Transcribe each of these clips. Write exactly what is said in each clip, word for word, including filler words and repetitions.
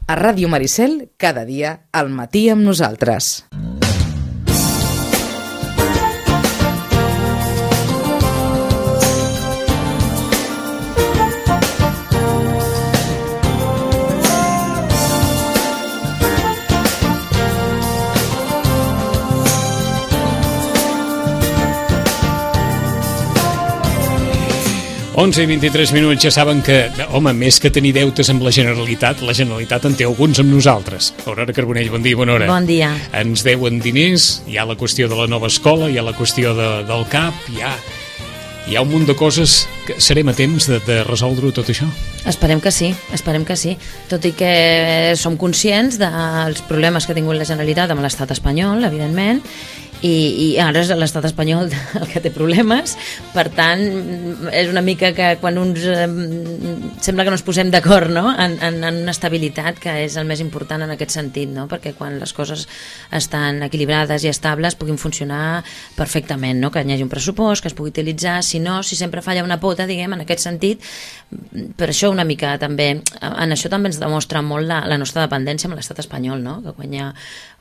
A Ràdio Maricel, cada dia, al matí amb nosaltres. onze i vint-i-tres minuts, ja saben que, home, més que tenir deutes amb la Generalitat, la Generalitat en té alguns amb nosaltres. Aurora Carbonell, bon dia, bona hora. Bon dia. Ens deuen diners, hi ha la qüestió de la nova escola, hi ha la qüestió de, del C A P, hi ha, hi ha un munt de coses que serem a temps de, de resoldre tot això? Esperem que sí, esperem que sí. Tot i que som conscients dels problemes que ha tingut la Generalitat amb l'estat espanyol, evidentment, i, i ara és l'estat espanyol el que té problemes, per tant és una mica que quan uns eh, sembla que no ens posem d'acord, no? en, en, en una estabilitat que és el més important en aquest sentit, no? Perquè quan les coses estan equilibrades i estables puguin funcionar perfectament, no? Que hi hagi un pressupost que es pugui utilitzar, si no, si sempre falla una pota, diguem, en aquest sentit. Per això una mica també, en això també ens demostra molt la, la nostra dependència amb l'estat espanyol, no? Que quan hi ha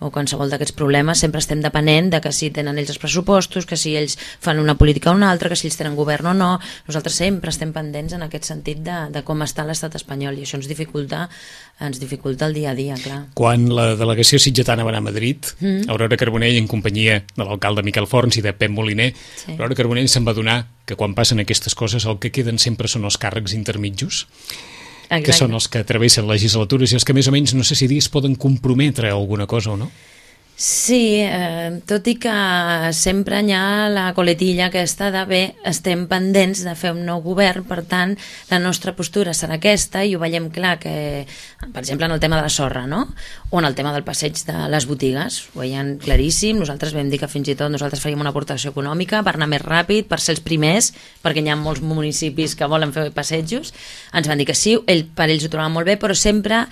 o qualsevol d'aquests problemes sempre estem depenent de que si tenen ells els pressupostos, que si ells fan una política o una altra, que si ells tenen govern o no. Nosaltres sempre estem pendents en aquest sentit de, de com està l'estat espanyol, i això ens dificulta, ens dificulta el dia a dia, clar. Quan la delegació sitgetana va anar a Madrid, mm. Aurora Carbonell, en companyia de l'alcalde Miquel Forns i de Pep Moliner, sí. Aurora Carbonell se'n va adonar que quan passen aquestes coses el que queden sempre són els càrrecs intermitjos. Exacte. Que són els que travessen legislatures i els que més o menys, no sé si dir, es poden comprometre a alguna cosa o no? Sí, eh, tot i que sempre hi ha la coletilla aquesta de bé, estem pendents de fer un nou govern, per tant la nostra postura serà aquesta, i ho veiem clar que, per exemple, en el tema de la sorra, no? O en el tema del passeig de les botigues, ho veiem claríssim. Nosaltres vam dir que fins i tot nosaltres faríem una aportació econòmica per anar més ràpid, per ser els primers, perquè hi ha molts municipis que volen fer passejos. Ens van dir que sí, ell, per ells ho trobaven molt bé, però sempre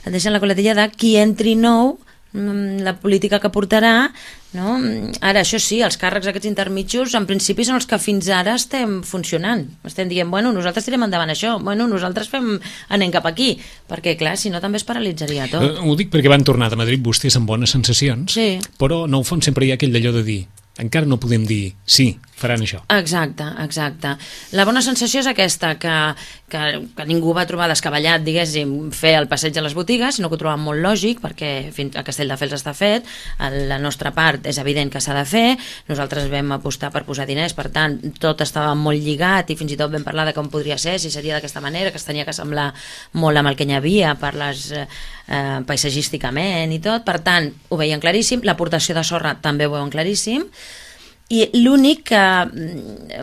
deixen la coletilla de qui entri nou, la política que portarà, no? Ara, això sí, els càrrecs aquests intermitjos en principi són els que fins ara estem funcionant, estem dient, bueno, nosaltres tirem endavant això, bueno, nosaltres fem, anem cap aquí, perquè clar, si no també es paralitzaria tot. Eh, ho dic perquè van tornar de Madrid vostès amb bones sensacions, sí. Però en el fons sempre hi ha aquell d'allò de dir, encara no podem dir, sí, faran això. Exacte, exacte. La bona sensació és aquesta, que, que, que ningú va trobar descabellat, diguéssim, fer el passeig a les botigues, sinó que ho troben molt lògic, perquè fins a Castelldefels està fet, la nostra part és evident que s'ha de fer, nosaltres vam apostar per posar diners, per tant, tot estava molt lligat i fins i tot vam parlar de com podria ser, si seria d'aquesta manera, que es tenia que semblar molt amb el que hi havia, per les, eh, paisatgísticament i tot, per tant, ho veien claríssim, l'aportació de sorra també ho veuen claríssim, i l'únic que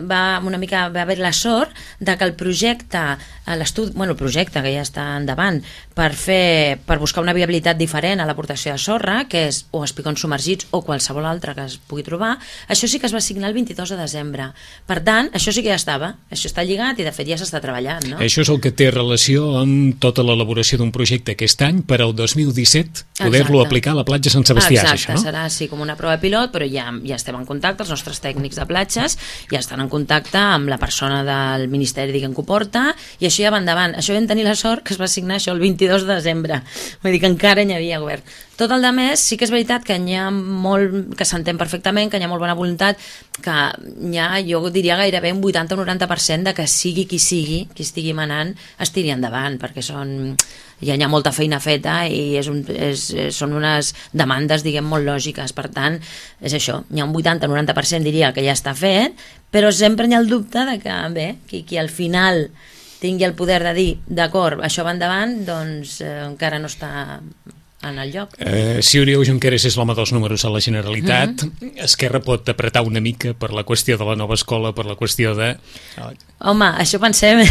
va una mica va haver la sort de que el projecte, l'estudi, bueno, el projecte que ja està endavant per fer, per buscar una viabilitat diferent a l'aportació de sorra, que és o espigons submergits o qualsevol altre que es pugui trobar, això sí que es va signar el vint-i-dos de desembre. Per tant, això sí que ja estava, això està lligat i de fet ja s'està treballant, no? Això és el que té relació amb tota l'elaboració d'un projecte aquest any per al dos mil disset, poder-lo aplicar a la platja Sant Sebastià. Exacte, això, no? Serà així com una prova pilot, però ja, ja estem en contacte, els nostres tècnics de platges ja estan en contacte amb la persona del Ministeri, diguem, que ho porta, i això ja va endavant. Això vam tenir la sort que es va signar això el vint-i-dos de desembre, vull dir que encara hi havia govern. Tot el de més sí que és veritat que hi ha molt, que s'entén perfectament, que hi ha molt bona voluntat, que hi ha, jo diria gairebé un vuitanta o noranta per cent de que sigui qui sigui, qui estigui manant, es tiri endavant, perquè són, ja hi ha molta feina feta i és un, és, són unes demandes, diguem, molt lògiques. Per tant, és això, hi ha un vuitanta o noranta per cent diria que ja està fet, però sempre hi ha el dubte de que, bé, qui, qui al final tingui el poder de dir, d'acord, això va endavant, doncs eh, encara no està en el lloc. Eh, si Oriol Junqueras és l'home dels números a la Generalitat, mm-hmm. Esquerra pot apretar una mica per la qüestió de la nova escola, per la qüestió de... Home, això pensem,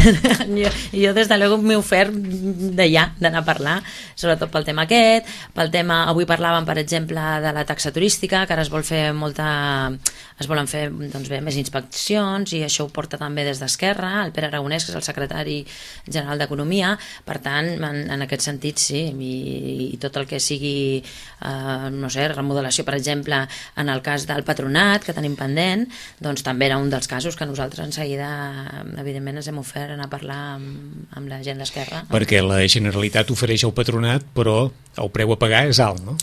jo, jo des de l'ego m'he ofert de ja, d'anar a parlar, sobretot pel tema aquest, pel tema, avui parlàvem, per exemple, de la taxa turística, que ara es vol fer molta, es volen fer, doncs bé, més inspeccions, i això ho porta també des d'Esquerra, el Pere Aragonès, que és el secretari general d'Economia, per tant, en, en aquest sentit, sí, i, i tot el que sigui, eh, no sé, remodelació, per exemple, en el cas del Patronat, que tenim pendent, doncs també era un dels casos que nosaltres en seguida, evidentment, ens hem ofert a anar a parlar amb, amb la gent d'Esquerra. Perquè la Generalitat ofereix al Patronat, però el preu a pagar és alt, no?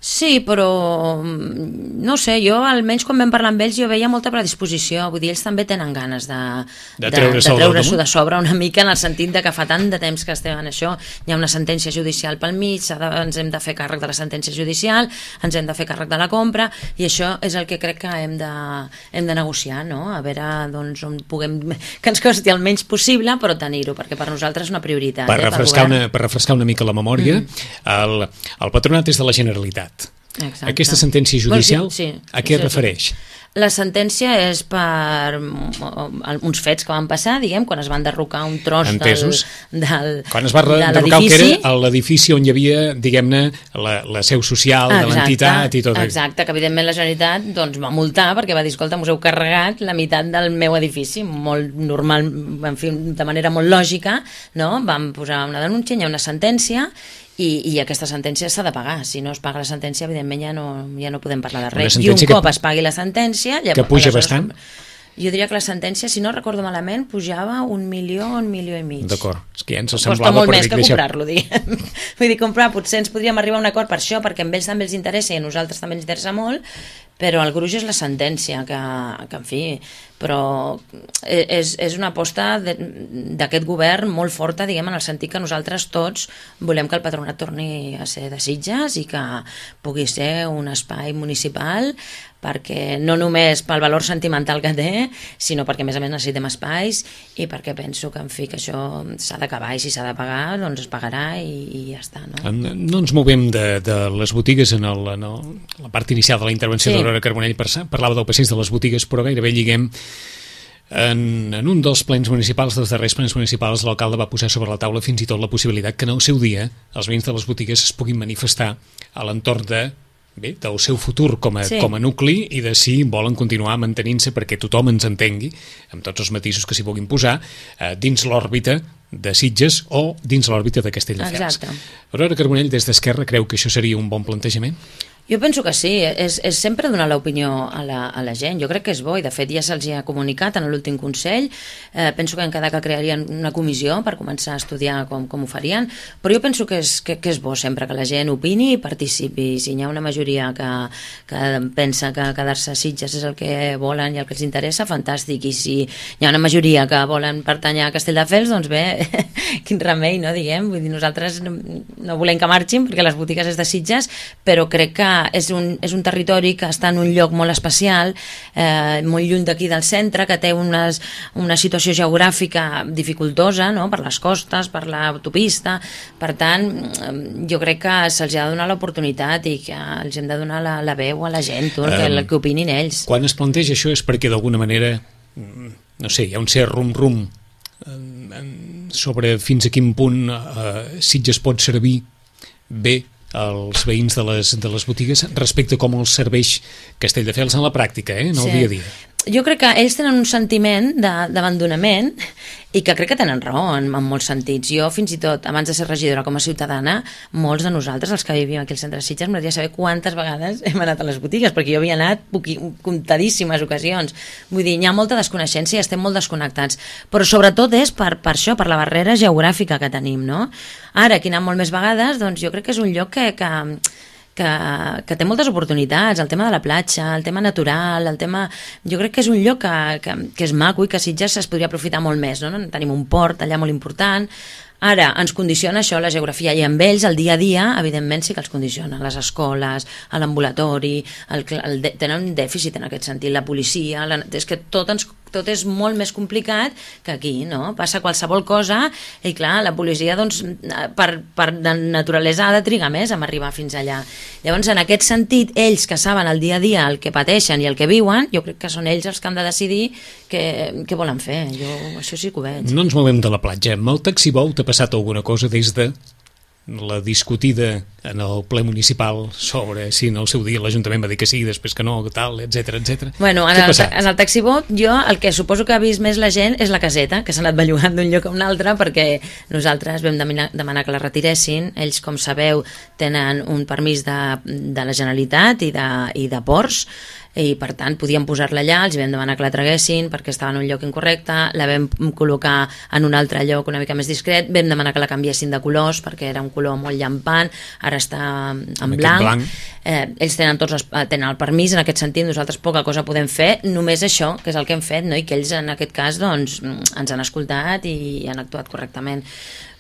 Sí, però no sé, jo almenys quan vam parlar amb ells jo veia molta predisposició, vull dir, ells també tenen ganes de, de treure-s'ho de, de treure de sobre una mica, en el sentit de que fa tant de temps que estem en això, hi ha una sentència judicial pel mig, de, ens hem de fer càrrec de la sentència judicial, ens hem de fer càrrec de la compra, i això és el que crec que hem de, hem de negociar, no? A veure doncs, on puguem, que ens costi el menys possible, però tenir-ho, perquè per nosaltres és una prioritat. Per, eh, refrescar, una, per refrescar una mica la memòria, mm. el, el Patronat és de la Generalitat. Exacte. Aquesta sentència judicial, bueno, sí, sí, a què sí, es refereix? La sentència és per uns fets que van passar, diguem, quan es van derrocar un tros Entesos. del, del quan es va derrocar el que era l'edifici on hi havia, diguem-ne, la, la seu social exacte, de l'entitat i tot. Exacte, que evidentment la Generalitat doncs, va multar perquè va dir, escolta, us heu carregat la meitat del meu edifici, molt normal, en fi, de manera molt lògica, no? Vam posar una denúncia, hi ha una sentència, I, i aquesta sentència s'ha de pagar. Si no es paga la sentència, evidentment ja no, ja no podem parlar de res. I un que, cop es pagui la sentència... Que puja bastant? Jo diria que la sentència, si no recordo malament, pujava un milió, un milió i mig. D'acord, és que ja ens semblava... Costa molt més que comprar-lo, diguem. Vull dir, comprar, potser ens podríem arribar a un acord per això, perquè a ells també els interessa i a nosaltres també ens interessa molt, però el gruix és la sentència, que, que en fi, però és, és una aposta d'aquest govern molt forta, diguem, en el sentit que nosaltres tots volem que el Patronat torni a ser de Sitges i que pugui ser un espai municipal, perquè no només pel valor sentimental que té, sinó perquè a més a més necessitem espais i perquè penso que en fi que això s'ha d'acabar i si s'ha de pagar doncs es pagarà i, i ja està, no? No ens movem de, de les botigues en, el, en el, la part inicial de la intervenció sí. d'Aurora Carbonell, parlava del passeig de les botigues, però gairebé lliguem en, en un dels plens municipals, dels darrers plens municipals, l'alcalde va posar sobre la taula fins i tot la possibilitat que en el seu dia els veïns de les botigues es puguin manifestar a l'entorn de bé, del seu futur com a, sí. com a nucli i de si volen continuar mantenint-se perquè tothom ens entengui, amb tots els matisos que s'hi puguin posar, eh, dins l'òrbita de Sitges o dins l'òrbita de Castelldefels. Aurora Carbonell, des d'Esquerra, creu que això seria un bon plantejament? Jo penso que sí, és, és sempre donar l'opinió a, la, a la gent, jo crec que és bo i de fet ja se'ls ha comunicat en l'últim Consell, eh, penso que en cada que crearien una comissió per començar a estudiar com, com ho farien, però jo penso que és, que, que és bo sempre que la gent opini i participi, si hi ha una majoria que, que pensa que quedar-se a Sitges és el que volen i el que els interessa, fantàstic, i si hi ha una majoria que volen pertanyar a Castelldefels, doncs bé, quin remei, no, diguem, vull dir, nosaltres no, no volem que marxin perquè les botigues és de Sitges, però crec que és un, és un territori que està en un lloc molt especial, eh, molt lluny d'aquí del centre, que té unes, una situació geogràfica dificultosa, no?, per les costes, per l'autopista, per tant, jo crec que se'ls ha de donar l'oportunitat i que els hem de donar la, la veu a la gent, tot, um, que, que opinin ells. Quan es planteja això és perquè d'alguna manera, no sé, hi ha un cert rum-rum sobre fins a quin punt eh, Sitges pot servir bé els veïns de les, de les botigues respecte a com els serveix Castelldefels en la pràctica, eh, en el sí. dia a dia. Jo crec que ells tenen un sentiment d'abandonament i que crec que tenen raó en, en molts sentits. Jo, fins i tot, abans de ser regidora com a ciutadana, molts de nosaltres, els que vivim aquí al centre de Sitges, m'agradaria saber quantes vegades hem anat a les botigues, perquè jo havia anat poqui, comptadíssimes ocasions. Vull dir, hi ha molta desconeixença i estem molt desconnectats. Però sobretot és per, per això, per la barrera geogràfica que tenim, no? Ara, aquí anant molt més vegades, doncs jo crec que és un lloc que... que Que, que té moltes oportunitats, el tema de la platja, el tema natural, el tema... Jo crec que és un lloc que, que, que és maco i que a Sitges es podria aprofitar molt més, no? Tenim un port allà molt important. Ara, ens condiciona això, la geografia, i amb ells, el dia a dia, evidentment sí que els condiciona. Les escoles, l'ambulatori, el, el, el, tenen un dèficit en aquest sentit, la policia... La, és que tot ens... tot és molt més complicat que aquí, no? Passa qualsevol cosa i clar, la policia doncs per, per de naturalesa ha de trigar més a arribar fins allà. Llavors, en aquest sentit, ells que saben el dia a dia el que pateixen i el que viuen, jo crec que són ells els que han de decidir què, què volen fer. Jo això sí que ho veig. No ens movem de la platja. Amb el taxi Bolt ha passat alguna cosa des de la discutida en el ple municipal sobre si en el seu dia l'Ajuntament va dir que sí, després que no, tal, etcètera, etcètera. Bueno, en el, en el taxibot jo el que suposo que ha vist més la gent és la caseta, que s'ha anat bellugant d'un lloc a un altre, perquè nosaltres vam demanar, demanar que la retiressin. Ells, com sabeu, tenen un permís de, de la Generalitat i de, i de ports, i per tant podíem posar-la allà, els vam demanar que la traguessin perquè estava en un lloc incorrecte, la vam col·locar en un altre lloc una mica més discret, vam demanar que la canviessin de colors perquè era un color molt llampant, ara està en blanc, blanc. Eh, ells tenen tots els, tenen el permís, en aquest sentit nosaltres poca cosa podem fer, només això, que és el que hem fet, no? I que ells en aquest cas doncs, ens han escoltat i han actuat correctament.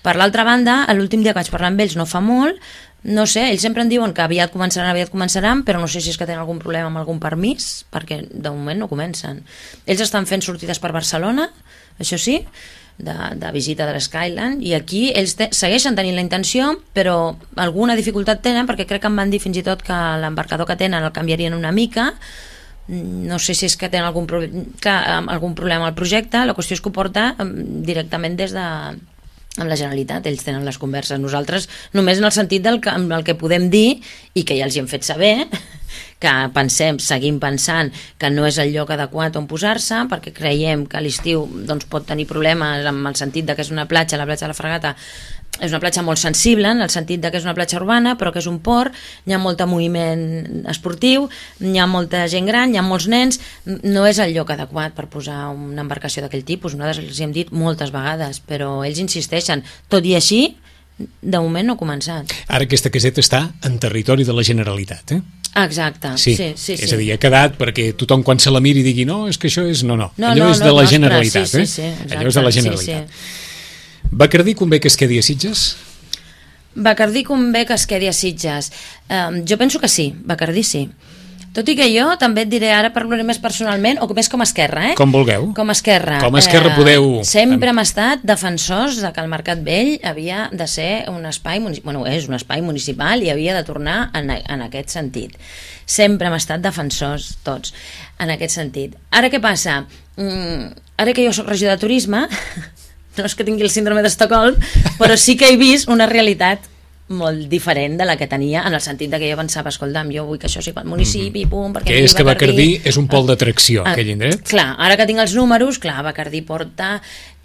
Per l'altra banda, l'últim dia que vaig parlar amb ells no fa molt, no sé, ells sempre en diuen que aviat començaran, aviat començaran, però no sé si és que tenen algun problema amb algun permís, perquè de moment no comencen. Ells estan fent sortides per Barcelona, això sí, de, de visita de l'Skyline, i aquí ells te, segueixen tenint la intenció, però alguna dificultat tenen, perquè crec que em van dir fins i tot que l'embarcador que tenen el canviarien una mica, no sé si és que tenen algun, pro... Clar, algun problema al projecte, la qüestió és que ho porta directament des de... amb la Generalitat, ells tenen les converses, nosaltres només en el sentit del que, el que podem dir i que ja els hi hem fet saber que pensem, seguim pensant que no és el lloc adequat on posar-se perquè creiem que a l'estiu doncs, pot tenir problemes amb el sentit de que és una platja, la platja de la Fragata és una platja molt sensible en el sentit de que és una platja urbana però que és un port, hi ha molt moviment esportiu, hi ha molta gent gran, hi ha molts nens, no és el lloc adequat per posar una embarcació d'aquell tipus, nosaltres els hem dit moltes vegades, però ells insisteixen, tot i així de moment no ha començat. Ara aquesta caseta està en territori de la Generalitat, eh? Exacte, sí, sí, sí, és sí. a dir, ha quedat perquè tothom quan se la miri digui no, és que això és... No, no, no allò no, és no, de la no, Generalitat, sí, sí, eh? sí, exacte, allò és de la Generalitat. Sí, sí. Bacardí convé que es quedi a Sitges? Bacardí convé que es quedi a Sitges. Um, jo penso que sí, Bacardí sí. Tot i que jo també et diré, ara parlaré més personalment, o més com a Esquerra, eh? Com vulgueu. Com a Esquerra. Com a Esquerra eh, podeu... Sempre hem estat defensors de que el Mercat Vell havia de ser un espai, bueno, és un espai municipal i havia de tornar en, en aquest sentit. Sempre hem estat defensors, tots, en aquest sentit. Ara què passa? Mm, ara que jo soc regidor de turisme, no és que tingui el síndrome d'Estocolm, però sí que he vist una realitat molt diferent de la que tenia, en el sentit de que jo pensava, escolta'm, jo vull que això sigui pel municipi, mm-hmm. pum, perquè... Que és que Bacardí és un pol d'atracció, ah, aquell indret. Clar, ara que tinc els números, clar, Bacardí porta...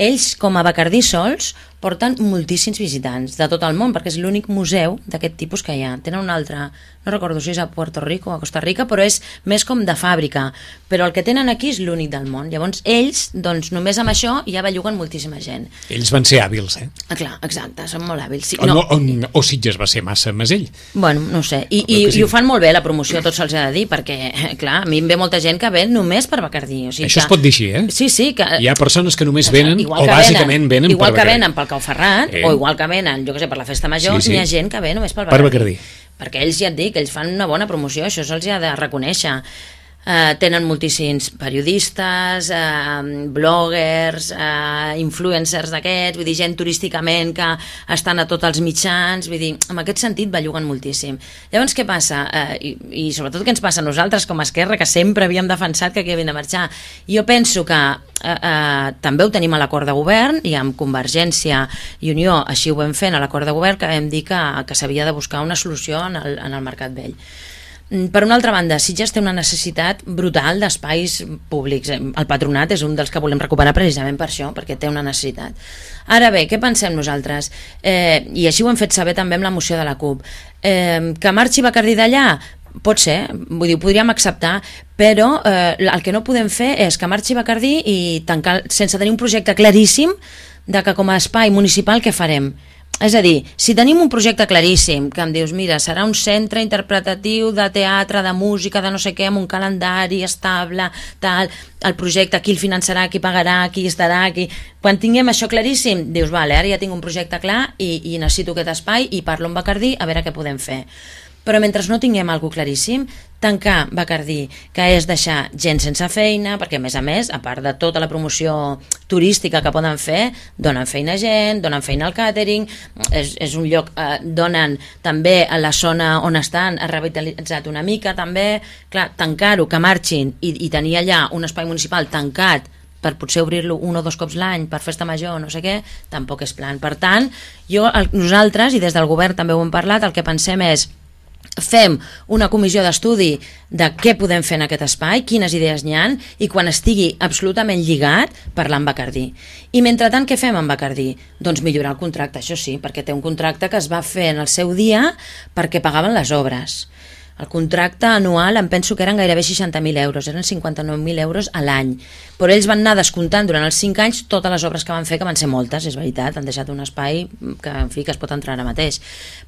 Ells, com a Bacardí sols, porten moltíssims visitants de tot el món, perquè és l'únic museu d'aquest tipus que hi ha. Tenen un altre, no recordo si és a Puerto Rico o a Costa Rica, però és més com de fàbrica. Però el que tenen aquí és l'únic del món. Llavors, ells, doncs, només amb això ja belluguen moltíssima gent. Ells van ser hàbils, eh? Ah, clar, exacte, són molt hàbils. Sí, o, no. no, o, o Sitges va ser massa mesell. Bueno, no sé. I, i, sí. I ho fan molt bé, la promoció, tots se'ls ha de dir, perquè, clar, a mi em ve molta gent que ve només per Bacardí. O sigui, això que... es pot dir així, eh? Sí, sí. Que... Hi ha persones que només venen, igual o que bàsicament venen, venen igual per que Bacardí. venen pel Cau Ferrat, eh. o igual que venen, jo què sé, per la Festa Major, sí, sí. N'hi ha gent que ve només pel Bacardí. Per Bacardí. Perquè ells, ja et dic, ells fan una bona promoció, això se'ls ha de reconèixer. Uh, tenen moltíssims periodistes, uh, bloggers, uh, influencers d'aquests, vull dir, gent turísticament que estan a tots els mitjans, vull dir, en aquest sentit belluguen moltíssim. Llavors, què passa? Uh, i, I sobretot què ens passa a nosaltres com a Esquerra, que sempre havíem defensat que aquí havien de marxar? Jo penso que uh, uh, també ho tenim a l'acord de govern, i amb Convergència i Unió així ho vam fer a l'acord de govern, que vam dir que, que s'havia de buscar una solució en el, en el Mercat Vell. Per una altra banda, Sitges té una necessitat brutal d'espais públics. El Patronat és un dels que volem recuperar precisament per això, perquè té una necessitat. Ara bé, què pensem nosaltres? Eh, I així ho hem fet saber també amb la moció de la CUP. Eh, que marxi Bacardí d'allà? Pot ser, vull dir, ho podríem acceptar, però eh, el que no podem fer és que marxi Bacardí i tancar, sense tenir un projecte claríssim de que com a espai municipal què farem. És a dir, si tenim un projecte claríssim, que em dius, mira, serà un centre interpretatiu de teatre, de música, de no sé què, amb un calendari estable, tal, el projecte, qui el finançarà, qui pagarà, qui estarà, qui... Quan tinguem això claríssim, dius, vale, ara ja tinc un projecte clar i, i necessito aquest espai i parlo amb Bacardí a veure què podem fer. Però mentre no tinguem alguna claríssim, tancar Bacardí, que és deixar gent sense feina, perquè a més a més, a part de tota la promoció turística que poden fer, donen feina a gent, donen feina al càtering, és, és un lloc, eh, donen també a la zona on estan, ha revitalitzat una mica també, clar, tancar-ho, que marxin i, i tenir allà un espai municipal tancat per potser obrir-lo un o dos cops l'any per festa major, no sé què, tampoc és plan. Per tant, jo, el, nosaltres, i des del govern també ho hem parlat, el que pensem és fem una comissió d'estudi de què podem fer en aquest espai, quines idees n'hi ha, i quan estigui absolutament lligat, parlar amb Bacardí. I mentrestant, què fem amb Bacardí? Doncs millorar el contracte, això sí, perquè té un contracte que es va fer en el seu dia perquè pagaven les obres. El contracte anual em penso que eren gairebé seixanta mil euros, eren cinquanta-nou mil euros a l'any. Però ells van anar descomptant durant els cinc anys totes les obres que van fer, que van ser moltes, és veritat, han deixat un espai que, en fi, que es pot entrar ara mateix.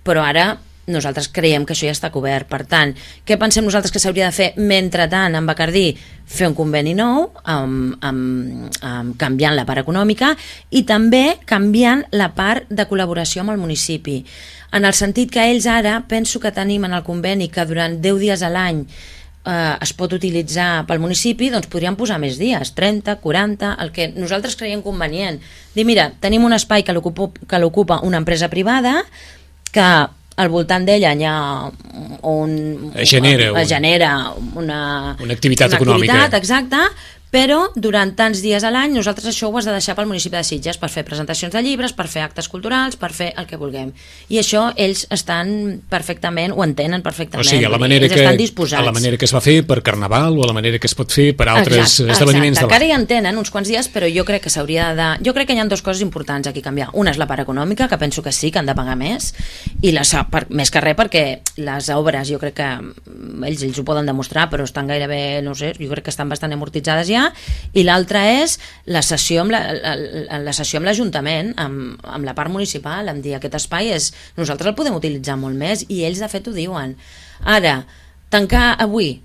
Però ara nosaltres creiem que això ja està cobert. Per tant, què pensem nosaltres que s'hauria de fer mentrestant amb Bacardí? Fer un conveni nou, amb, amb, amb, canviant la part econòmica i també canviant la part de col·laboració amb el municipi. En el sentit que ells ara, penso que tenim en el conveni que durant deu dies a l'any eh, es pot utilitzar pel municipi, doncs podríem posar més dies, trenta, quaranta, el que nosaltres creiem convenient. Dir, mira, tenim un espai que l'ocupa una empresa privada, que al voltant d'ella hi ha un, es genera, un, es genera una, una activitat una econòmica. Activitat, exacte, però durant tants dies a l'any nosaltres això ho has de deixar pel municipi de Sitges per fer presentacions de llibres, per fer actes culturals, per fer el que vulguem. I això ells estan perfectament, ho entenen perfectament. O sigui, a la manera, ells que, estan disposats. a la manera que es va fer per Carnaval o a la manera que es pot fer per altres exacte, esdeveniments exacte. de l'any. Encara hi entenen uns quants dies, però jo crec que s'hauria de... Jo crec que hi ha dues coses importants aquí a canviar. Una és la part econòmica, que penso que sí, que han de pagar més, i la, per, més que res perquè les obres, jo crec que ells, ells ho poden demostrar, però estan gairebé, no sé, jo crec que estan bastant amortitzades ja, i l'altra és la sessió amb la, la, la sessió amb l'Ajuntament, amb, amb la part municipal, em dir, aquest espai és, nosaltres el podem utilitzar molt més, i ells de fet ho diuen. Ara, tancar avui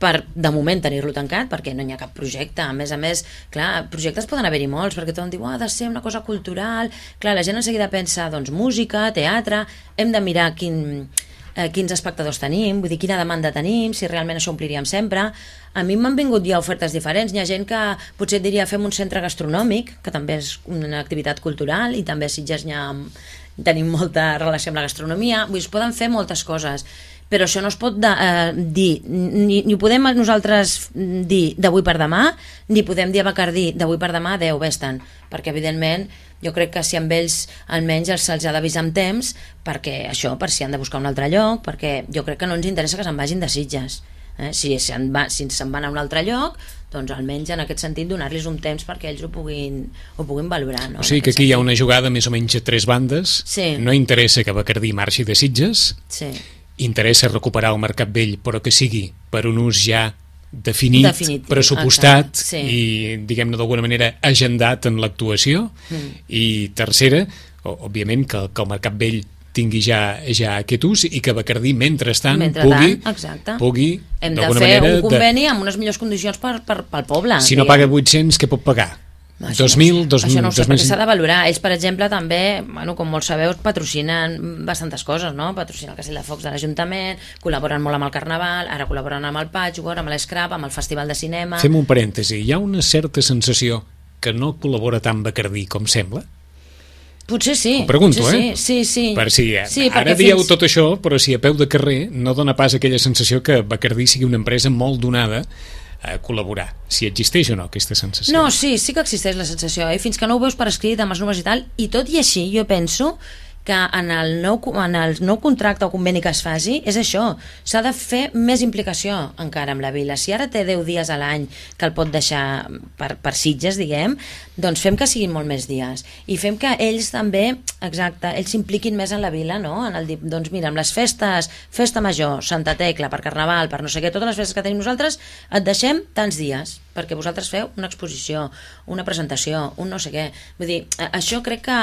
per de moment tenir-lo tancat, perquè no hi ha cap projecte, a més a més, clar, projectes poden haver-hi molts, perquè tothom diu, oh, ha de ser una cosa cultural, clar, la gent en seguida pensa, doncs, música, teatre, hem de mirar quin, eh, quins espectadors tenim, vull dir, quina demanda tenim, si realment això ompliríem sempre. A mi m'han vingut ja ofertes diferents, hi ha gent que potser et diria fem un centre gastronòmic, que també és una activitat cultural, i també a Sitges hi ha, tenim molta relació amb la gastronomia, vull dir, es poden fer moltes coses, però això no es pot de, eh, dir, ni, ni podem nosaltres dir d'avui per demà, ni podem dir a Bacardí d'avui per demà, adeu, vés-te'n, perquè evidentment jo crec que si amb ells almenys se'ls ha d'avisar amb temps, perquè això, per si han de buscar un altre lloc, perquè jo crec que no ens interessa que se'n vagin de Sitges. Eh? Si se'n va, si se'n van a un altre lloc, doncs almenys en aquest sentit donar-los un temps perquè ells ho puguin, ho puguin valorar, no? O sigui que aquí hi ha una jugada més o menys a tres bandes, sí. No interessa que Bacardí marxi de Sitges, sí. Interessa recuperar el Mercat Vell, però que sigui per un ús ja definit, Definitiu, pressupostat sí. I, diguem-ne d'alguna manera, agendat en l'actuació, mm. I tercera, òbviament que, que el Mercat Vell tingui ja, ja aquest ús i que Bacardí, mentrestant, pugui, pugui hem de fer manera, un conveni de... amb unes millors condicions per, per, pel poble. Si no paga vuit-cents, què pot pagar? dos mil, dos mil, això no ho sé, dos mil... perquè s'ha de valorar. Ells, per exemple, també, bueno, com molts sabeu, patrocinen bastantes coses, no? Patrocinen el Castell de Focs de l'Ajuntament, col·laboren molt amb el Carnaval, ara col·laboren amb el Patchwork, amb l'Scrap, amb el Festival de Cinema... Fem un parèntesi. Hi ha una certa sensació que no col·labora tant Bacardí com sembla? Potser sí. Ho pregunto, potser eh? Sí, sí, sí. Per si, sí ara dieu fins... tot això, però si a peu de carrer no dona pas aquella sensació que Bacardí sigui una empresa molt donada a col·laborar, si existeix o no aquesta sensació. No, sí, sí que existeix la sensació, eh? Fins que no ho veus per escrit amb els números i tal, i tot i així jo penso que en el nou, en el nou contracte o conveni que es faci és això, s'ha de fer més implicació encara amb la vila. Si ara té deu dies a l'any que el pot deixar per, per Sitges, diguem, doncs fem que siguin molt més dies i fem que ells també, exacte, ells s'impliquin més en la vila, no? En el, doncs mira, amb les festes, festa major, Santa Tecla, per Carnaval, per no sé què, totes les festes que tenim nosaltres, et deixem tants dies perquè vosaltres feu una exposició, una presentació, un no sé què. Vull dir, això crec que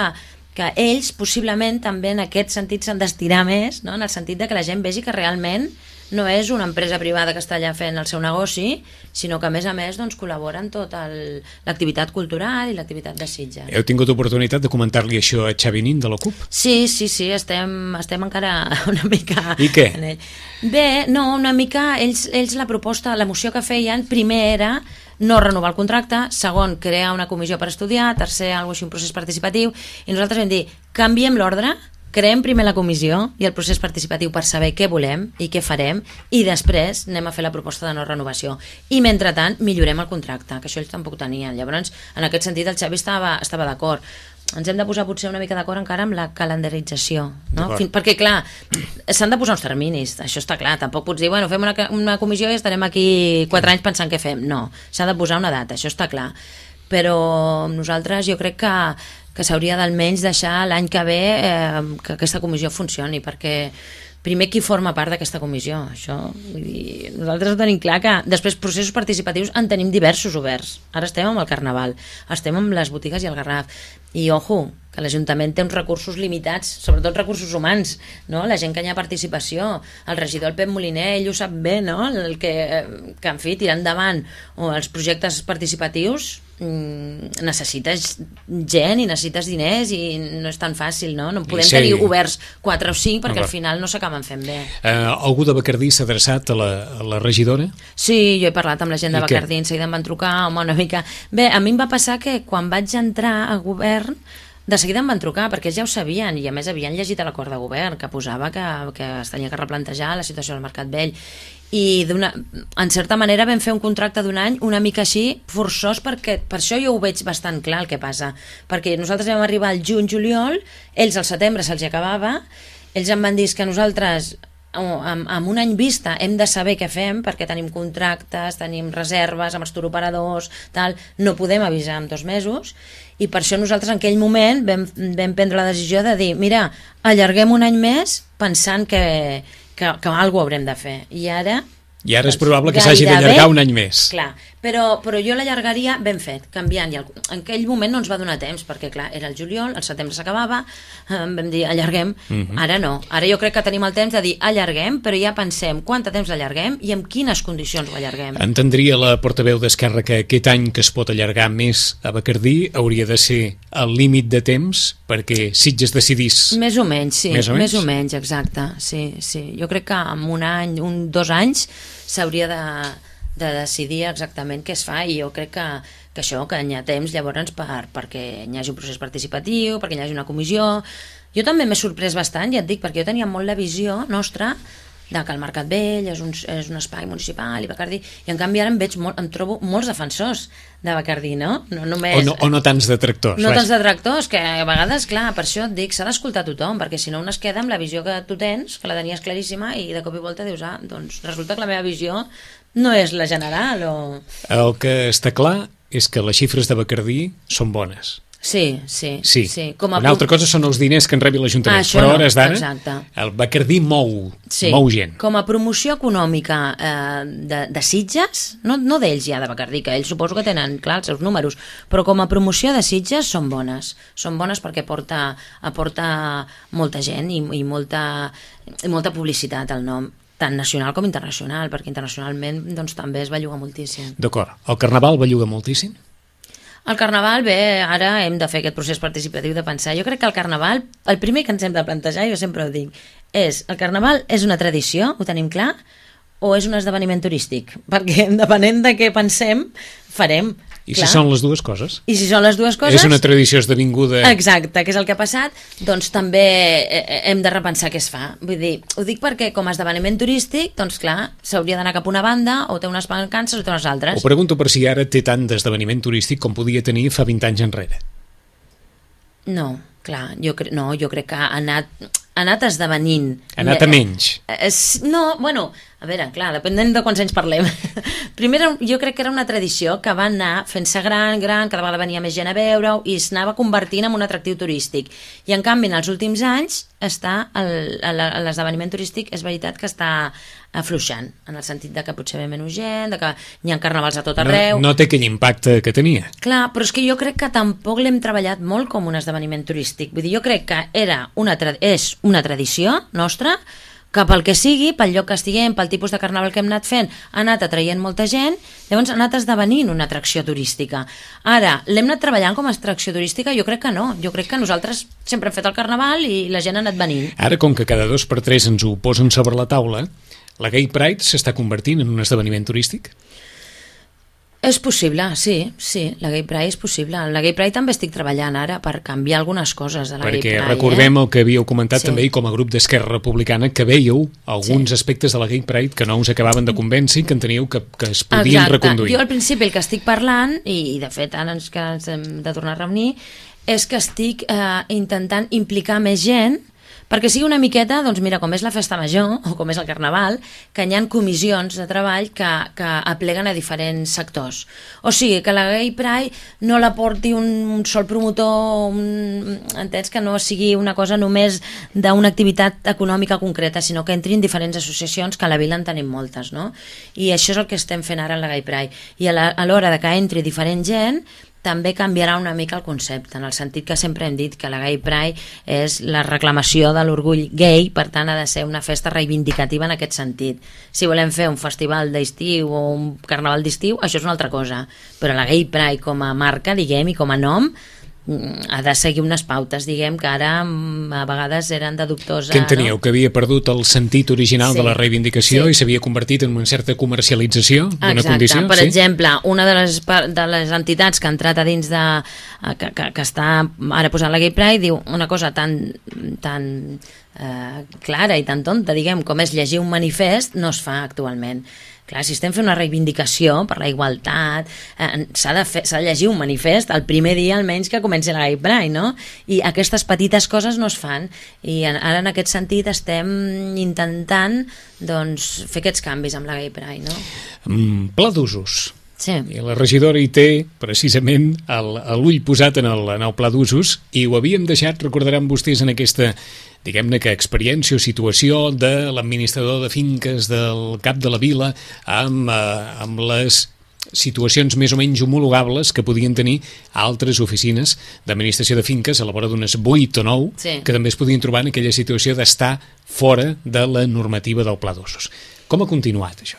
que ells possiblement també en aquest sentit s'han d'estirar més, no? En el sentit de que la gent vegi que realment no és una empresa privada que està allà fent el seu negoci, sinó que a més a més doncs, col·labora en tota l'activitat cultural i l'activitat de Sitges. Heu tingut oportunitat de comentar-li això a Xavi Nin de la CUP? Sí, sí, sí, estem, estem encara una mica... I què? Bé, no, una mica, ells, ells la proposta, la moció que feien, primer era no renovar el contracte, segon, crear una comissió per estudiar, tercer, alguna cosa així, un procés participatiu, i nosaltres vam dir, canviem l'ordre, creem primer la comissió i el procés participatiu per saber què volem i què farem, i després anem a fer la proposta de no renovació. I, mentrestant, millorem el contracte, que això ells tampoc tenien. Llavors, en aquest sentit, el Xavi estava, estava d'acord. Ens hem de posar potser una mica d'acord encara amb la calendarització, no? Fin, perquè clar, s'han de posar uns terminis, això està clar, tampoc pots dir, bueno, fem una, una comissió i estarem aquí quatre anys pensant què fem, no, s'ha de posar una data, això està clar, però nosaltres jo crec que, que s'hauria d'almenys deixar l'any que ve eh, que aquesta comissió funcioni, perquè primer qui forma part d'aquesta comissió, això, vull dir, nosaltres ho tenim clar que després processos participatius en tenim diversos oberts, ara estem amb el Carnaval, estem amb les botigues i el Garraf, i ojo, que l'Ajuntament té uns recursos limitats, sobretot recursos humans, no? La gent que hi ha participació, el regidor el Pep Moliner, ell ho sap bé, no? El que, que en fi, tirar endavant o els projectes participatius mmm, necessites gent i necessites diners i no és tan fàcil, no? No podem sí. tenir oberts quatre o cinc perquè no, al final no s'acaben fent bé. Uh, algú de Bacardí s'ha adreçat a la, a la regidora? Sí, jo he parlat amb la gent de Bacardí, en seguida em van trucar, home, una mica... Bé, a mi em va passar que quan vaig entrar a govern de seguida em van trucar, perquè ja ho sabien i a més havien llegit a l'acord de govern que posava que, que es tenia que replantejar la situació del Mercat Vell i en certa manera vam fer un contracte d'un any una mica així forçós, perquè per això jo ho veig bastant clar el que passa, perquè nosaltres vam arribar al juny-juliol, ells al setembre se'ls acabava, ells em van dir que nosaltres amb, amb un any vista hem de saber què fem perquè tenim contractes, tenim reserves amb els turoperadors, tal, no podem avisar en dos mesos i per això nosaltres en aquell moment vam, vam prendre la decisió de dir, mira, allarguem un any més pensant que, que, que alguna cosa haurem de fer i ara... I ara és probable que s'hagi d'allargar un any més. Clar, però, però jo l'allargaria ben fet, canviant. I el, en aquell moment no ens va donar temps, perquè clar, era el juliol, el setembre s'acabava, eh, vam dir allarguem, uh-huh. Ara no. Ara jo crec que tenim el temps de dir allarguem, però ja pensem quant de temps l'allarguem i en quines condicions ho allarguem. Entendria la portaveu d'Esquerra que aquest any que es pot allargar més a Bacardí hauria de ser el límit de temps perquè Sitges decidís... Més o menys, sí, més o menys, més o menys exacte. Sí, sí. Jo crec que en un any, un, dos anys s'hauria de, de decidir exactament què es fa i jo crec que, que això, que hi ha temps llavors per, perquè hi hagi un procés participatiu, perquè hi hagi una comissió. Jo també m'he sorprès bastant, ja et dic, perquè jo tenia molt la visió nostra de que el Mercat Vell és un, és un espai municipal i Bacardí, i en canvi ara em veig molt, em trobo molts defensors de Bacardí, no? No només, o, no, o no tants detractors. No tants detractors, que a vegades, clar, per això et dic, s'ha d'escoltar tothom, perquè si no un es queda amb la visió que tu tens, que la tenies claríssima, i de cop i volta dius, ah, doncs resulta que la meva visió no és la general, o... El que està clar és que les xifres de Bacardí són bones. Sí, sí. sí. sí. Com a Una altra cosa són els diners que en rebi l'Ajuntament, ah, però a hores d'ara el Bacardí mou, sí. mou gent. Com a promoció econòmica eh, de, de Sitges, no, no d'ells ja de Bacardí, que ells suposo que tenen clar els seus números, però com a promoció de Sitges són bones. Són bones perquè porta, aporta molta gent i, i, molta, i molta publicitat al nom, tant nacional com internacional, perquè internacionalment doncs, també es belluga moltíssim. D'acord. El Carnaval belluga moltíssim? El Carnaval, bé, ara hem de fer aquest procés participatiu de pensar. Jo crec que el Carnaval, el primer que ens hem de plantejar, jo sempre ho dic, és el Carnaval és una tradició, ho tenim clar, o és un esdeveniment turístic? Perquè depenent de què pensem, farem. I clar. Si són les dues coses? I si són les dues coses... És una tradició esdevinguda... Exacte, que és el que ha passat, doncs també hem de repensar què es fa. Vull dir, ho dic perquè com a esdeveniment turístic, doncs clar, s'hauria d'anar cap a una banda, o té unes mancances o té unes altres. Ho pregunto per si ara té tant d'esdeveniment turístic com podia tenir fa vint anys enrere. No, clar, jo, cre... no, jo crec que ha anat, ha anat esdevenint... Ha anat a menys. No, bueno... A veure, clar, depenent de quants anys parlem. Primer, jo crec que era una tradició que va anar fent-se gran, gran, cada vegada venia més gent a veure-ho i s'anava convertint en un atractiu turístic. I en canvi, en els últims anys, està l'esdeveniment turístic, és veritat que està afluixant, en el sentit de que potser ve menys gent, de que hi ha carnavals a tot arreu... No, no té aquell impacte que tenia. Clar, però és que jo crec que tampoc l'hem treballat molt com un esdeveniment turístic. Vull dir, jo crec que era una és una tradició nostra, que pel que sigui, pel lloc que estiguem, pel tipus de carnaval que hem anat fent, ha anat atraient molta gent, llavors ha anat esdevenint una atracció turística. Ara, l'hem anat treballant com a atracció turística? Jo crec que no. Jo crec que nosaltres sempre hem fet el carnaval i la gent ha anat venint. Ara, com que cada dos per tres ens ho posen sobre la taula, la Gay Pride s'està convertint en un esdeveniment turístic? És possible, sí, sí, la Gay Pride és possible. La Gay Pride també estic treballant ara per canviar algunes coses de la Perquè Gay Pride. recordem eh? el que havíeu comentat Sí. també i com a grup d'Esquerra Republicana, que veieu alguns Sí. aspectes de la Gay Pride que no us acabaven de convèncer, que enteníeu que, que es podien Exacte. reconduir. Jo al principi el que estic parlant, i, i de fet ara ens, que ens hem de tornar a reunir, és que estic eh, intentant implicar més gent perquè sigui una miqueta, doncs mira, com és la festa major o com és el carnaval, que hi ha comissions de treball que, que apleguen a diferents sectors. O sigui, que la Gay Pride no la porti un, un sol promotor, un, entens, que no sigui una cosa només d'una activitat econòmica concreta, sinó que entrin diferents associacions, que a la vila en tenim moltes, no? I això és el que estem fent ara en la Gay Pride. I a l'hora de que entri diferent gent, també canviarà una mica el concepte, en el sentit que sempre hem dit que la Gay Pride és la reclamació de l'orgull gay, per tant ha de ser una festa reivindicativa en aquest sentit. Si volem fer un festival d'estiu o un carnaval d'estiu, això és una altra cosa, però la Gay Pride com a marca, diguem, i com a nom, ha de seguir unes pautes, diguem, que ara a vegades eren de dubtosa... Què enteníeu? No? Que havia perdut el sentit original Sí. de la reivindicació Sí. i s'havia convertit en una certa comercialització d'una Exacte. condició? Per sí? exemple, una de les, de les entitats que ha entrat a dins de... que, que, que està ara posant la Gay Pride diu una cosa tan, tan eh, clara i tan tonta, diguem, com és llegir un manifest, no es fa actualment. Clar, si estem fent una reivindicació per la igualtat, eh, s'ha de, fer, s'ha de llegir un manifest el primer dia almenys que comenci la Gay Pride, no? I aquestes petites coses no es fan. I en, ara en aquest sentit estem intentant doncs, fer aquests canvis amb la Gay Pride, no? Mm, pla d'usos. Sí. I la regidora hi té precisament el- l'ull posat en el, en el pla d'usos i ho havíem deixat, recordaran vostès, en aquesta, diguem-ne que experiència o situació de l'administrador de finques del cap de la vila amb, eh, amb les situacions més o menys homologables que podien tenir altres oficines d'administració de finques a la vora d'unes vuit o nou Sí. que també es podien trobar en aquella situació d'estar fora de la normativa del pla d'usos. Com ha continuat això?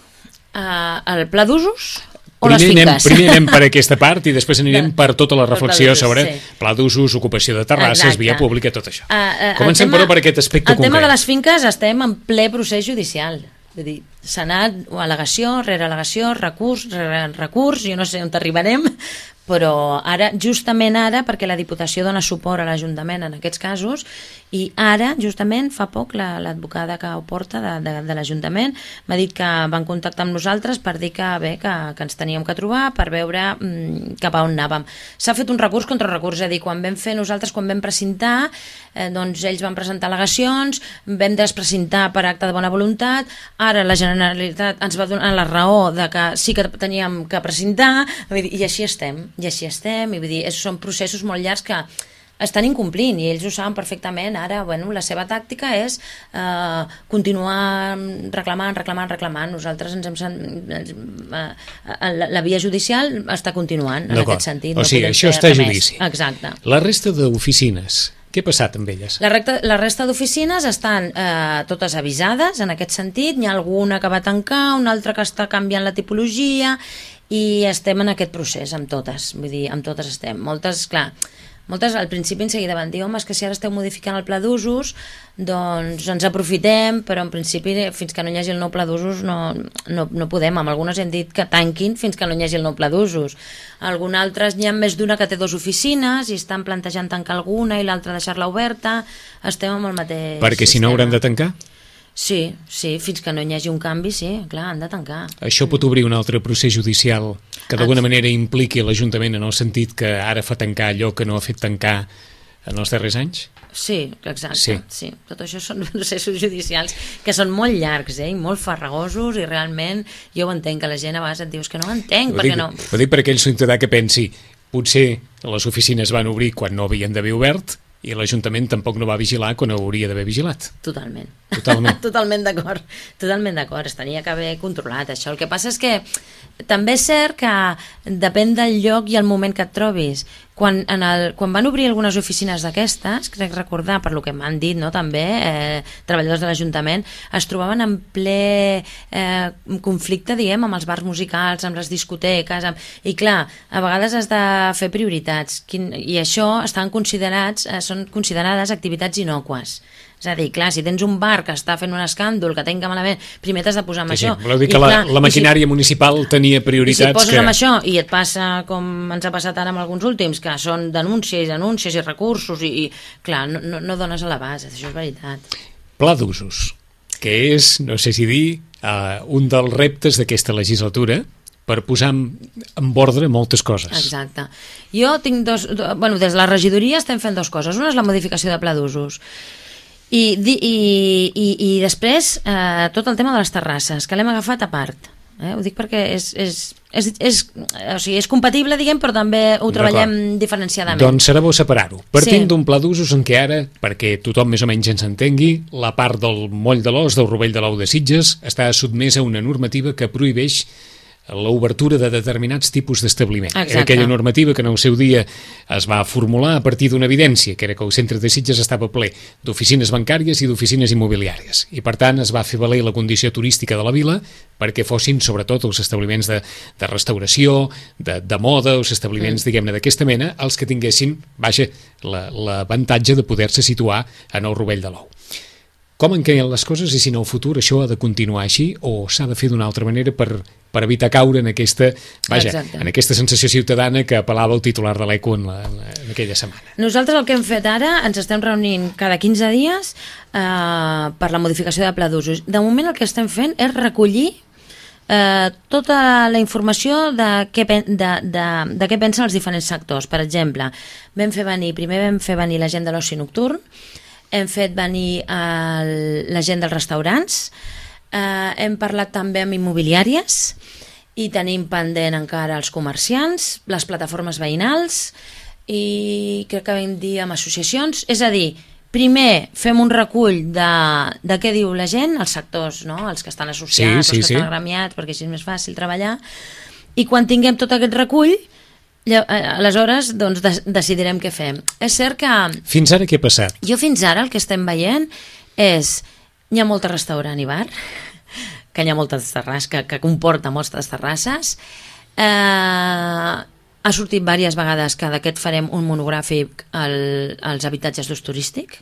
Uh, el pla d'usos o les Primer anem, finques? primer anem per aquesta part i després anirem De- per tota la per reflexió pla d'usos, sobre sí. pla d'usos, ocupació de terrasses, Exacte. via pública, tot això. Uh, uh, Comencem, el tema- però, per aquest aspecte el concret. El tema de les finques estem en ple procés judicial. Vull dir, s'ha anat al·legació, rere al·legació, recurs, rere recurs, jo no sé on arribarem, però ara, justament ara, perquè la Diputació dona suport a l'Ajuntament en aquests casos, i ara, justament, fa poc, la- l'advocada que ho porta de, de, de l'Ajuntament m'ha dit que van contactar amb nosaltres per dir que bé, que, que ens teníem que trobar per veure mm, cap a on anàvem. S'ha fet un recurs contra recurs, és a dir, quan vam fer nosaltres, quan vam presentar, eh, doncs ells van presentar al·legacions, vam despresentar per acte de bona voluntat, ara la Generalitat ens va donar la raó de que sí que teníem que presentar, vull dir, i així estem, i així estem, i vull dir, és, són processos molt llargs que estan incomplint i ells ho saben perfectament. Ara, bueno, la seva tàctica és eh, continuar reclamant, reclamant, reclamant. Nosaltres ens hem... sen- ens, eh, la, la via judicial està continuant en D'acord. aquest sentit. O sigui, podem això fer està a res més. judici. Exacte. La resta d'oficines, què ha passat amb elles? La, recta, la resta d'oficines estan eh, totes avisades en aquest sentit. N'hi ha alguna que va tancar, una altra que està canviant la tipologia i estem en aquest procés amb totes. Vull dir, amb totes estem. Moltes, clar, moltes al principi en seguida van dir home, és que si ara esteu modificant el pla d'usos doncs ens aprofitem, però en principi fins que no hi hagi el nou pla d'usos no, no, no podem. Amb algunes hem dit que tanquin fins que no hi hagi el nou pla d'usos. Algunes altres n'hi ha més d'una que té dues oficines i estan plantejant tancar alguna i l'altra deixar-la oberta. Estem amb el mateix Perquè si no sistema. hauran de tancar? Sí, sí, fins que no hi hagi un canvi, sí, clar, han de tancar. Això pot obrir un altre procés judicial que d'alguna manera impliqui l'Ajuntament en el sentit que ara fa tancar allò que no ha fet tancar en els darrers anys? Sí, exacte, Sí. sí. sí. Tot això són processos judicials que són molt llargs, eh, i molt farragosos, i realment jo ho entenc, que la gent a vegades et dius que no ho entenc, Ho perquè dic, no... ho dic per aquell ciutadà que pensi potser les oficines van obrir quan no havien d'haver obert i l'Ajuntament tampoc no va vigilar quan hauria d'haver vigilat. Totalment. Totalment. Totalment d'acord. Totalment d'acord. Es tenia que haver controlat això. El que passa és que també és cert que depèn del lloc i el moment que et trobis. Quan, en el, quan van obrir algunes oficines d'aquestes, crec recordar, per lo que m'han dit, no, també, eh, treballadors de l'Ajuntament, es trobaven en ple eh, conflicte, diguem, amb els bars musicals, amb les discoteques, amb... i clar, a vegades has de fer prioritats, Quin... i això estan considerats, eh, són considerades activitats innòcues. És a dir, clar, si tens un bar que està fent un escàndol, que tenga malament, primer t'has de posar amb sí, això. Sí, voleu dir que I, la, clar, la maquinària si, municipal tenia prioritats... I si poses que... amb això i et passa com ens ha passat ara amb alguns últims, que són denúncies, denúncies i recursos, i, i clar, no, no, no dones a la base, això és veritat. Pla d'usos, que és, no sé si dir, uh, un dels reptes d'aquesta legislatura, per posar en, en ordre moltes coses. Exacte. Jo tinc dos... Bueno, des de la regidoria estem fent dues coses. Una és la modificació de pla d'usos. I, i, i, i després eh, tot el tema de les terrasses, que l'hem agafat a part. Eh? Ho dic perquè és, és, és, és, o sigui, és compatible, diguem, però també ho treballem diferenciadament. Doncs serà bo separar-ho. Partint sí. d'un pla d'usos en què ara, perquè tothom més o menys ens entengui, la part del Moll de l'Os, del Rovell de l'Ou de Sitges, està sotmesa a una normativa que prohibeix l'obertura de determinats tipus d'establiment. Era aquella normativa que en el seu dia es va formular a partir d'una evidència, que era que el centre de Sitges estava ple d'oficines bancàries i d'oficines immobiliàries. I per tant es va fer valer la condició turística de la vila perquè fossin sobretot els establiments de, de restauració, de, de moda, els establiments, mm. diguem-ne, d'aquesta mena, els que tinguessin, vaja, l'avantatge de poder-se situar en el Rovell de l'Ou. Com en queden les coses i si en el futur això ha de continuar així o s'ha de fer d'una altra manera per, per evitar caure en aquesta, vaja, en aquesta sensació ciutadana que apel·lava el titular de l'Eco en, la, en aquella setmana? Nosaltres el que hem fet ara, ens estem reunint cada quinze dies eh, per la modificació de pla d'usos. De moment el que estem fent és recollir eh, tota la informació de què, de, de, de què pensen els diferents sectors. Per exemple, vam fer venir, primer vam fer venir la gent de l'oci nocturn, hem fet venir el, la gent dels restaurants, eh, hem parlat també amb immobiliàries i tenim pendent encara els comerciants, les plataformes veïnals i crec que vam dir amb associacions. És a dir, primer fem un recull de, de què diu la gent, els sectors, no? Els que estan associats, sí, sí, els que sí. estan agremiats, perquè així és més fàcil treballar, i quan tinguem tot aquest recull, aleshores doncs decidirem què fem. És cert que... Fins ara què ha passat? Jo fins ara el que estem veient és... Hi ha molt restaurant i bar, que hi ha moltes terrasses, que, que comporta moltes terrasses. Eh, ha sortit diverses vegades que d'aquest farem un monogràfic al, als habitatges d'ús turístic,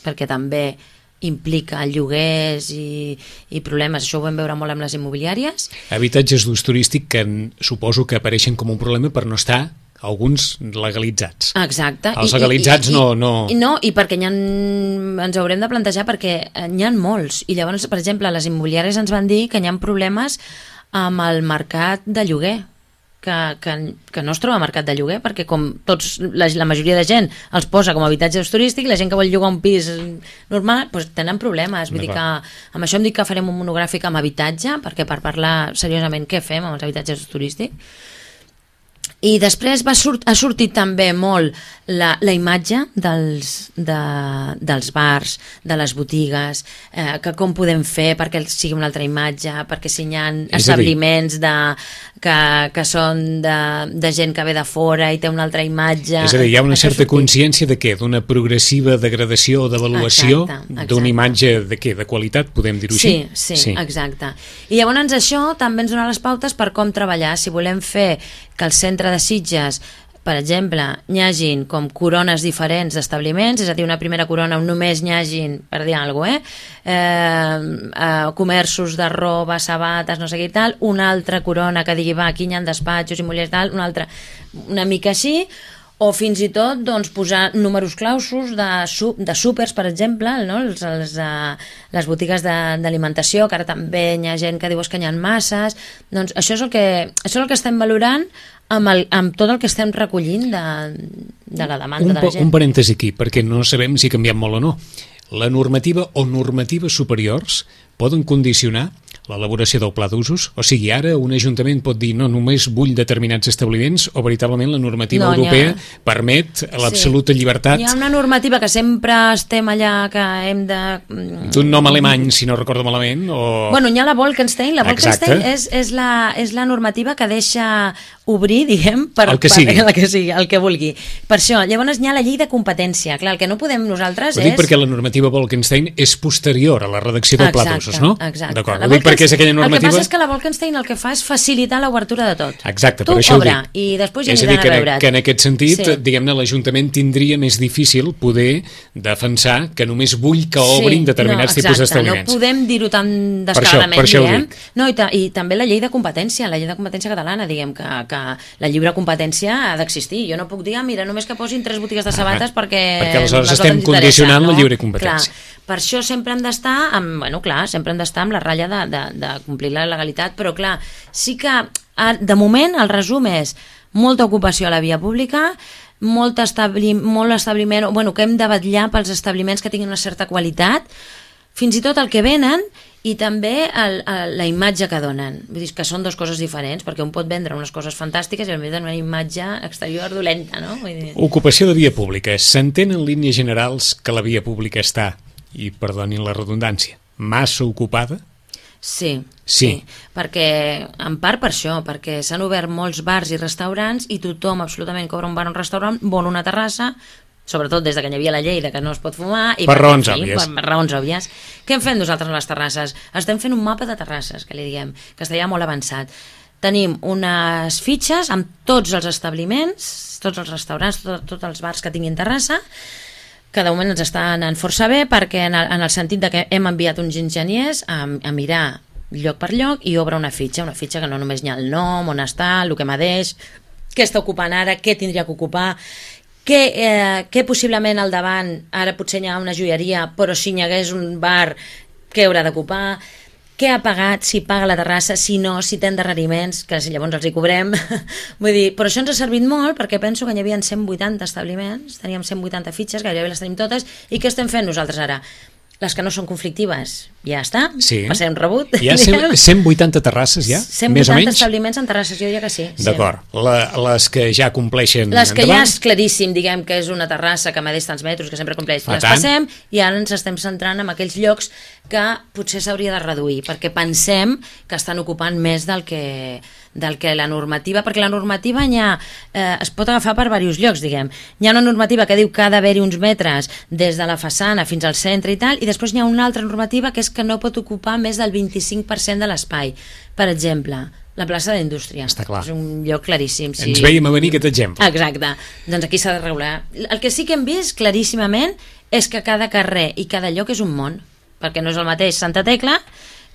perquè també implica lloguers i, i problemes, això ho vam veure molt amb les immobiliàries. Habitatges d'ús turístic que suposo que apareixen com un problema per no estar alguns legalitzats. Exacte. Els legalitzats I, i, no, no... I, no, i perquè ha, ens haurem de plantejar perquè n'hi ha molts, i llavors, per exemple, les immobiliàries ens van dir que hi ha problemes amb el mercat de lloguer, que, que, que no es troba mercat de lloguer, perquè com tots, la, la majoria de gent els posa com a habitatge turístic, la gent que vol llogar un pis normal, doncs tenen problemes. Vull dir que amb això em dic que farem un monogràfic amb habitatge, perquè per parlar seriosament què fem amb els habitatges turístics. I després va sort, ha sortit també molt la, la imatge dels, de, dels bars, de les botigues, eh, que com podem fer perquè sigui una altra imatge, perquè si hi ha establiments de, que, que són de, de gent que ve de fora i té una altra imatge... És a dir, hi ha una certa consciència de què? D'una progressiva degradació o devaluació d'una imatge de què? De qualitat, podem dir-ho sí, així? Sí, sí, exacte. I llavors això també ens dona les pautes per com treballar, si volem fer que el centre de Sitges, per exemple, n'hi hagin com corones diferents d'establiments, és a dir, una primera corona on només n'hi hagin, per dir alguna cosa, eh? Eh, eh, comerços de roba, sabates, no sé què i tal, una altra corona que digui, va, aquí hi ha despatxos i mullers tal, una altra, una mica així, o fins i tot doncs, posar números clausos de, de súpers, per exemple, no? els, els, uh, les botigues d'alimentació, que ara també hi ha gent que diu que n'hi ha masses. Doncs això és el que, això és el que estem valorant amb, el, amb tot el que estem recollint de, de la demanda un, de la gent. Un parèntesi aquí, perquè no sabem si ha canviat molt o no. La normativa o normatives superiors poden condicionar l'elaboració del pla d'usos? O sigui, ara un ajuntament pot dir no, només vull determinats establiments o veritablement la normativa no, europea ha... permet l'absoluta sí. llibertat? Hi ha una normativa que sempre estem allà que hem de... D'un nom alemany, si no recordo malament, o... Bueno, hi ha la Bolkestein, la Bolkestein és, és, la, és la normativa que deixa obrir, diguem, per, el que sigui. Per, el que sigui, el que vulgui. Per això, llavors hi ha la llei de competència. Clar, el que no podem nosaltres Ho és... dic perquè la normativa Bolkestein és posterior a la redacció del exacte, pla d'usos, no? Exacte. D'acord, la ho dic perquè publiqués aquella normativa... El que passa és que la Bolkestein el que fa és facilitar l'obertura de tot. Exacte, tu per això obre, ho dic. i després ja és aniran a, a, a veure't. que en aquest sentit, sí. diguem-ne, l'Ajuntament tindria més difícil poder defensar que només vull que obrin sí, determinats no, tipus d'establiments. No podem dir-ho tan descaradament, diguem. No, i, ta, I també la llei de competència, la llei de competència catalana, diguem, que, que la lliure competència ha d'existir. Jo no puc dir, ah, mira, només que posin tres botigues de sabates ah, perquè... Perquè aleshores estem condicionant no? la lliure competència. Clar, per això sempre hem d'estar amb, bueno, clar, sempre hem d'estar amb la ratlla de, de, de complir la legalitat, però clar, sí que de moment el resum és molta ocupació a la via pública, molt, establi, molt establiment, bueno, que hem de vetllar pels establiments que tinguin una certa qualitat, fins i tot el que venen i també el, el, la imatge que donen. Vull dir que són dues coses diferents, perquè un pot vendre unes coses fantàstiques i a més una imatge exterior dolenta, no? Vull dir... Ocupació de via pública. S'entén en línies generals que la via pública està, i perdonin la redundància, massa ocupada? Sí, sí, sí, perquè en part per això, perquè s'han obert molts bars i restaurants i tothom absolutament cobra un bar o un restaurant, vol una terrassa, sobretot des de que hi havia la llei de que no es pot fumar i per, per raons fi, òbvies. Per, per raons òbvies. Què hem fet nosaltres a les terrasses? Estem fent un mapa de terrasses, que li diguem, que està ja molt avançat. Tenim unes fitxes amb tots els establiments, tots els restaurants, tot, tots els bars que tinguin terrassa, que de moment ens està anant força bé perquè en el, en el sentit de que hem enviat uns enginyers a, a mirar lloc per lloc i obre una fitxa, una fitxa que no només hi ha el nom, on està, el que m'adeix, què està ocupant ara, què tindria que ocupar, què, eh, què possiblement al davant, ara potser hi ha una joieria, però si hi hagués un bar, què haurà d'ocupar, què ha pagat, si paga la terrassa, si no, si té endarreriments, que si llavors els hi cobrem. Vull dir, però això ens ha servit molt perquè penso que hi havia cent vuitanta establiments, teníem cent vuitanta fitxes, gairebé les tenim totes, i què estem fent nosaltres ara? Les que no són conflictives, ja està, sí. passem rebut. Hi ha cent vuitanta terrasses ja? cent més o vuitanta menys? establiments en terrasses, jo diria que sí. D'acord. Sí. Les que ja compleixen Les que endavant? ja és claríssim, diguem que és una terrassa que medeix tants metres, que sempre compleix, Fa les tant. passem i ara ens estem centrant en aquells llocs que potser s'hauria de reduir, perquè pensem que estan ocupant més del que, del que la normativa, perquè la normativa ha, eh, es pot agafar per diversos llocs, diguem. Hi ha una normativa que diu que ha d'haver-hi uns metres des de la façana fins al centre i tal, i després hi ha una altra normativa que és que no pot ocupar més del vint-i-cinc per cent de l'espai. Per exemple, la plaça d'Indústria. Està clar. És un lloc claríssim. Sí. Ens veiem a venir aquest exemple. Exacte. Doncs aquí s'ha de regular. El que sí que hem vist claríssimament és que cada carrer i cada lloc és un món, perquè no és el mateix Santa Tecla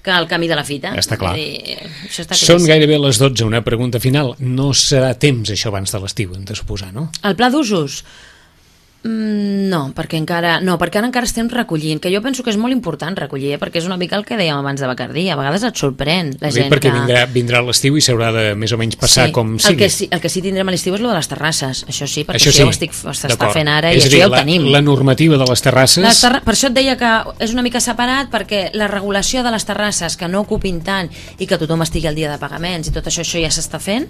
que el camí de la fita. Està clar. I això està Són gairebé les dotze. Una pregunta final. No serà temps això abans de l'estiu, hem de suposar, no? El pla d'usos? Mm, no, perquè encara no, perquè ara encara estem recollint, que jo penso que és molt important recollir, eh? Perquè és una mica el que dèiem abans de Bacardí, a vegades et sorprèn la gent perquè que... vindrà, vindrà l'estiu i s'haurà de més o menys passar sí. com sigui. sigui. El que, sí, el que sí tindrem a l'estiu és lo de les terrasses, això sí, perquè això això sí. ja ho estic, s'està fent ara i és això dir, ja ho la, tenim. La normativa de les terrasses... Les terra... Per això et deia que és una mica separat, perquè la regulació de les terrasses que no ocupin tant i que tothom estigui al dia de pagaments i tot això, això ja s'està fent.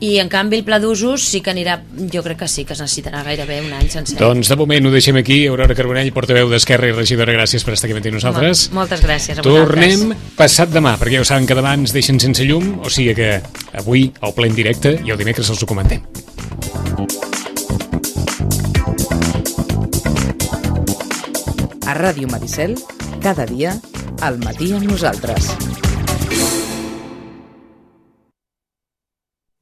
I en canvi el pla d'usos sí que anirà, jo crec que sí, que es necessitarà gairebé un any sencer. Doncs de moment ho deixem aquí. Aurora Carbonell, portaveu d'Esquerra i regidora, gràcies per estar aquí amb nosaltres. Mol, moltes gràcies a vosaltres. Tornem passat demà, perquè ja ho saben que demà ens deixen sense llum, o sigui que avui al ple en directe i el dimecres els ho comentem. A Ràdio Maricel, cada dia, al matí amb nosaltres.